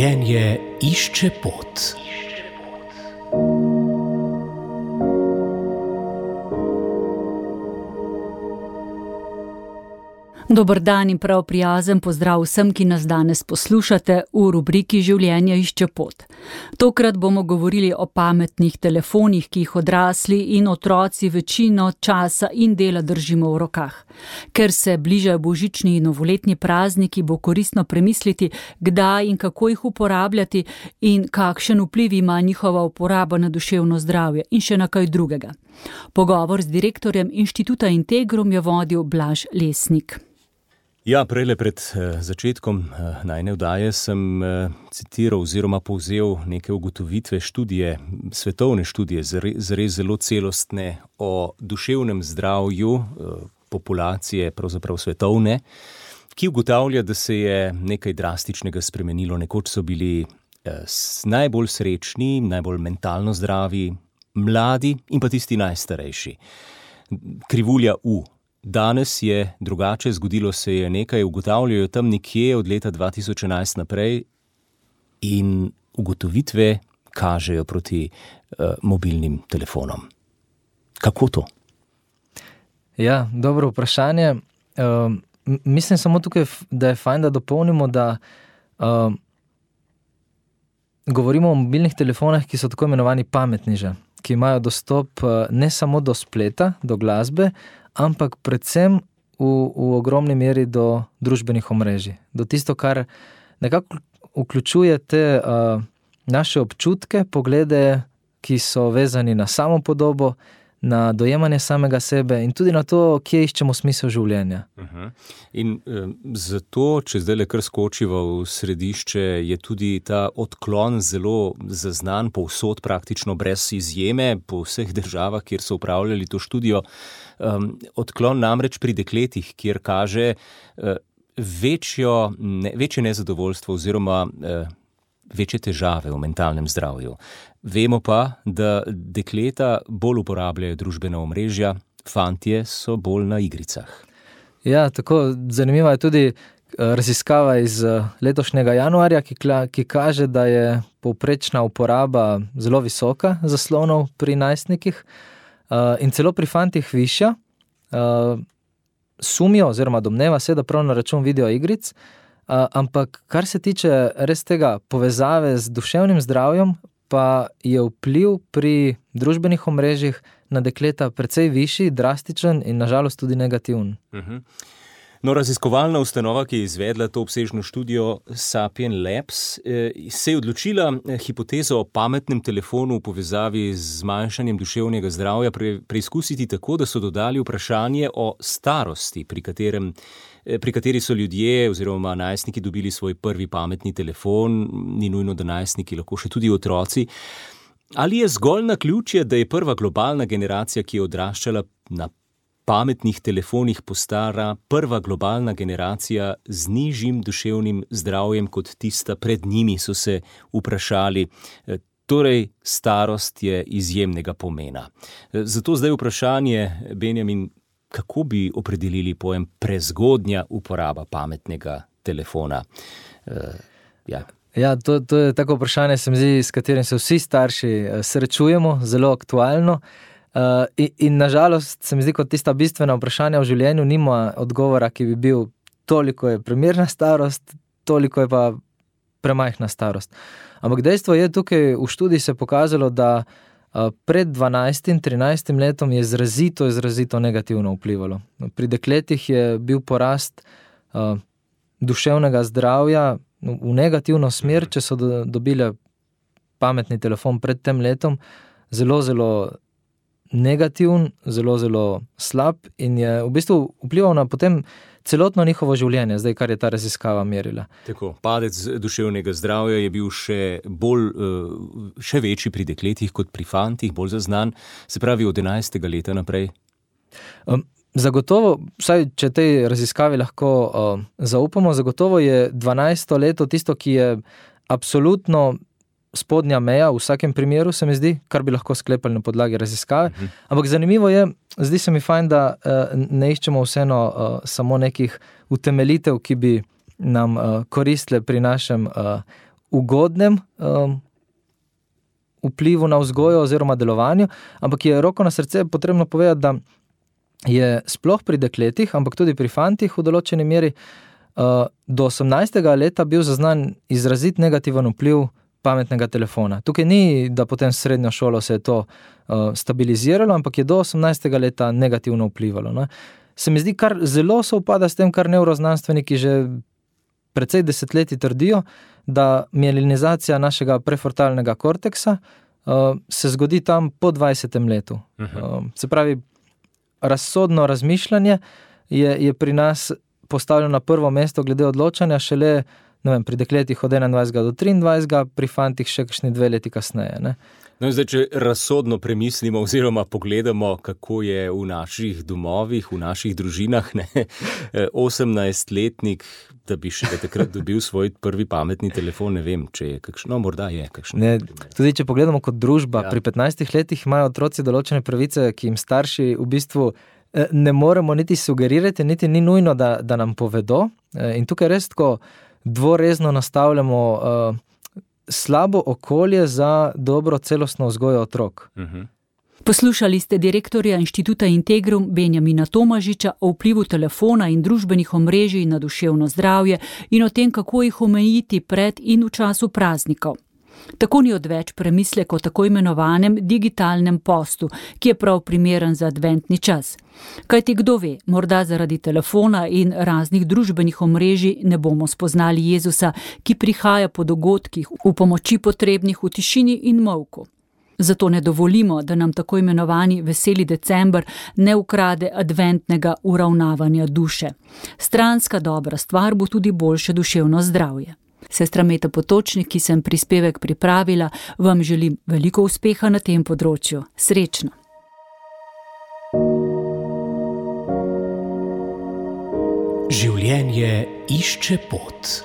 Življenje išče pot. Dober dan in prav prijazen pozdrav vsem, ki nas danes poslušate v rubriki Življenje išče pot. Tokrat bomo govorili o pametnih telefonih, ki jih odrasli in otroci večino časa in dela držimo v rokah. Ker se bližajo božični in novoletni prazniki, bo koristno premisliti, kdaj in kako jih uporabljati in kakšen vpliv ima njihova uporaba na duševno zdravje in še na kaj drugega. Pogovor z direktorjem Inštituta Integrum je vodil Blaž Lesnik. Ja, prejle pred začetkom najine vdaje sem citiral oziroma povzel neke ugotovitve študije, svetovne študije, zares zelo celostne o duševnem zdravju populacije, pravzaprav svetovne, ki ugotavlja, da se je nekaj drastičnega spremenilo. Nekoč so bili najbolj srečni, najbolj mentalno zdravi, mladi in pa tisti najstarejši. Krivulja U. Danes je drugače, zgodilo se je nekaj, ugotavljajo tam nekje od leta 2011 naprej in ugotovitve kažejo proti mobilnim telefonom. Kako to? Ja, dobro vprašanje. Mislim samo tukaj, da je fajn, da dopolnimo, da govorimo o mobilnih telefonih, ki so tako imenovani pametni že, ki imajo dostop ne samo do spleta, do glasbe, ampak predvsem v ogromni meri do družbenih omrežij. Do tisto, kar nekako vključuje te naše občutke, poglede, ki so vezani na samopodobo, na dojemanje samega sebe in tudi na to, kje iščemo smisel življenja. In zato, če zdaj kar skočiva v središče, je tudi ta odklon zelo zaznan povsod, praktično brez izjeme, po vseh državah, kjer so upravljali to študijo. Odklon namreč pri dekletih, kjer kaže večje nezadovoljstvo oziroma večje težave v mentalnem zdravju. Vemo pa, da dekleta bolj uporabljajo družbena omrežja, fantje so bolj na igricah. Ja, tako zanimiva je tudi raziskava iz letošnjega januarja, ki kaže, da je povprečna uporaba zelo visoka zaslonov pri najstnikih in celo pri fantih višja. Sumijo oziroma domneva se, da prav na račun videoigric, ampak kar se tiče res tega povezave z duševnim zdravjem, pa je vpliv pri družbenih omrežjih na dekleta precej višji, drastičen in nažalost tudi negativen. No, raziskovalna ustanova, ki je izvedla to obsežno študijo Sapien Labs, se je odločila hipotezo o pametnem telefonu v povezavi z zmanjšanjem duševnega zdravja preizkusiti tako, da so dodali vprašanje o starosti, pri kateri so ljudje oziroma najstniki dobili svoj prvi pametni telefon, ni nujno, da najstniki, lahko še tudi otroci. Ali je zgolj naključje, da je prva globalna generacija, ki je odraščala na pametnih telefonih, postara prva globalna generacija z nižjim duševnim zdravjem kot tista pred njimi, so se vprašali. Torej, starost je izjemnega pomena. Zato zdaj vprašanje, Benjamin, kako bi opredelili pojem prezgodnja uporaba pametnega telefona? Ja, to je tako vprašanje, se mi zdi, s katerim se vsi starši srečujemo, zelo aktualno. In nažalost se mi zdi, kot tista bistvena vprašanja v življenju nima odgovora, ki bi bil toliko je primerna starost, toliko je pa premajhna starost. Ampak dejstvo je, tukaj v študiji se pokazalo, da pred 12-13 letom je izrazito negativno vplivalo. Pri dekletih je bil porast duševnega zdravja v negativno smer, če so dobile pametni telefon pred tem letom, zelo negativen, zelo slab in je v bistvu vplival na potem celotno njihovo življenje, zdaj kar je ta raziskava merila. Tako, padec duševnega zdravja je bil še večji pri dekletih kot pri fantih, bolj zaznan, se pravi od 11. leta naprej. Zagotovo, vsaj če tej raziskavi lahko zaupamo, zagotovo je 12. leto tisto, ki je absolutno spodnja meja v vsakem primeru, se mi zdi, kar bi lahko sklepali na podlagi raziskave. Ampak zanimivo je, zdi se mi fajn, da ne iščemo vseeno samo nekih utemeljitev, ki bi nam koristile pri našem ugodnem vplivu na vzgojo oziroma delovanju, ampak je roko na srce potrebno povedati, da je sploh pri dekletih, ampak tudi pri fantih v določeni meri do 18. leta bil zaznan izrazit negativen vpliv pametnega telefona. Tukaj ni, da potem srednjo šolo se je to stabiliziralo, ampak je do 18. leta negativno vplivalo. Ne? Se mi zdi, kar zelo sovpada s tem, kar nevroznanstveniki že precej desetletji trdijo, da mielinizacija našega prefrontalnega korteksa se zgodi tam po 20. letu. Se pravi, razsodno razmišljanje je pri nas postavljeno na prvo mesto glede odločanja šele, ne vem, pri dekletih od 21 do 23, pri fantih še kakšni 2 leti kasneje. Ne? No, zdaj, če razsodno premislimo oziroma pogledamo, kako je v naših domovih, v naših družinah, 18-letnik, da bi še takrat dobil svoj prvi pametni telefon, ne vem, če je kakšno, morda je kakšno. Tudi če pogledamo kot družba, pri 15 letih imajo otroci določene pravice, ki jim starši v bistvu ne moremo niti sugerirati, niti ni nujno, da nam povedo. In tukaj res tako dvorezno nastavljamo slabo okolje za dobro celostno vzgojo otrok. Poslušali ste direktorja Inštituta Integrum Benjamina Tomažiča o vplivu telefona in družbenih omrežij na duševno zdravje in o tem, kako jih omejiti pred in v času praznikov. Tako ni odveč premislek o tako imenovanem digitalnem postu, ki je prav primeren za adventni čas. Kajti kdo ve, morda zaradi telefona in raznih družbenih omrežij ne bomo spoznali Jezusa, ki prihaja po dogodkih v pomoči potrebnih v tišini in molku. Zato ne dovolimo, da nam tako imenovani veseli december ne ukrade adventnega uravnavanja duše. Stranska dobra stvar bo tudi boljše duševno zdravje. Sestra Meta Potočnik, ki sem prispevek pripravila, vam želim veliko uspeha na tem področju. Srečno! Življenje išče pot.